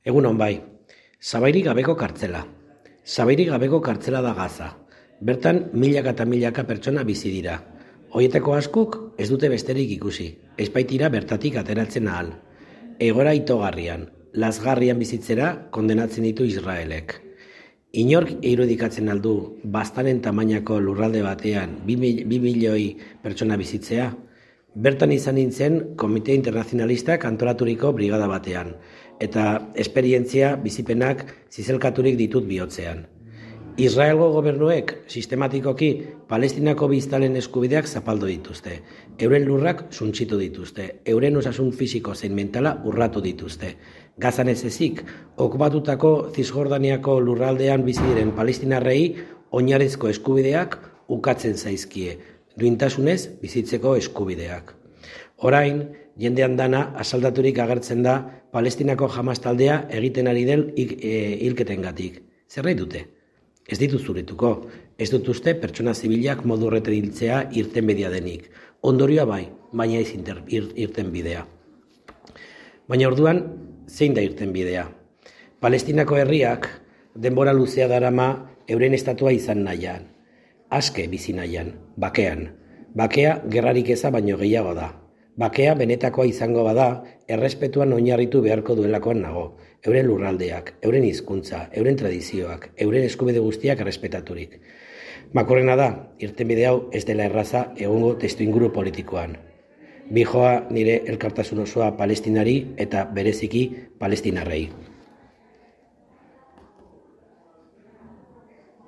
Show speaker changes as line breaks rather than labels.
Egunon bai, sabairik gabeko kartzela. Sabairik gabeko kartzela da Gaza. Bertan milaka eta milaka pertsona bizi dira. Horietako askok ez dute besterik ikusi, ez baitira bertatik ateratzen ahal. Egoera itogarrian, lazgarrian bizitzera kondenatzen ditu Israelek. Inork irudikatzen aldu baztaren tamainako lurralde batean 2 milioi pertsona bizitzea? Bertan izan nintzen Komite Internazionalistak antolaturiko brigada batean, eta esperientzia bizipenak zizelkaturik ditut bihotzean. Israelgo gobernuek sistematikoki Palestinako biztanleen eskubideak zapaldu dituzte, euren lurrak suntsitu dituzte, euren osasun fisiko zein mentala urratu dituzte. Gazan ez ezik, okubatutako Zisjordaniako lurraldean bizi diren palestinarrei oinarrizko eskubideak ukatzen zaizkie, duintasunez bizitzeko eskubideak. Orain, jendean dana asaldaturik agertzen da Palestinako Hamas taldea egiten ari den hilketengatik. Zer nahi dute? Ez dituz zurituko, ez dut uste pertsona zibilak modu horretan hiltzea irtenbidea denik. Ondorioa bai, baina ez irtenbidea. Baina orduan, zein da irtenbidea? Palestinako herriak denbora luzea darama euren estatua izan nahian. Aske bizi nahian, bakean. Bakea gerrarik eza baino gehiago da. Bakea benetakoa izango bada, errespetuan oinarritu beharko duelakoan nago. Euren lurraldeak, euren hizkuntza, euren tradizioak, euren eskubide guztiak errespetaturik. Makorrena da, irtenbide hau ez dela erraza egungo testuinguru politikoan. Bihoa nire elkartasun osoa Palestinari eta bereziki palestinarrei.